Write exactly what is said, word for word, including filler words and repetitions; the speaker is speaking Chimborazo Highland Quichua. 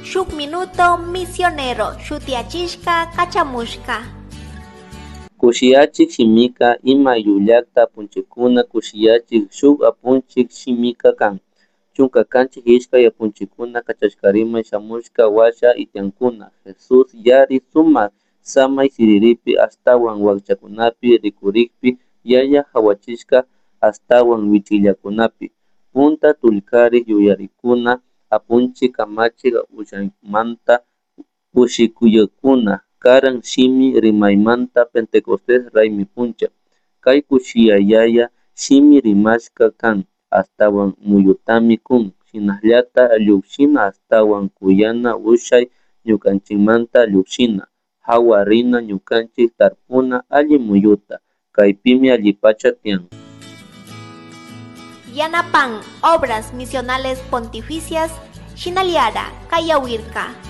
Shuk Minuto Misionero shutiyachishka kachamushka. Kushiyachik shimika ima ayllullakta apunchikkuna kushiyachik shuk apunchik shimika kan. Chunka kanchis ishkay apunchikkuna kachashkarimay shamushka washa itiankuna Jesús yari sumak samay siriripi ashtawan wakchakunapi rikurikpi yaya hawachishka ashtawan wichillakunapi. Punta tullkarik yuyarikuna apunchik kamachik ushaymanta kushikuyakuna karan shimi rimaymanta Pentecostés raymi puncha. Kay kushiyayaya shimi rimashka kan ashtawan muyutami kun shinallata llukshina ashtawan kuyana ushay ñukanchikmanta llukshina hawa rina ñukanchik tarpuna alli muyuta kaypimi allipacha tiyan. Yanapan Obras Misionales Pontificias Shinaliara Kayawirka.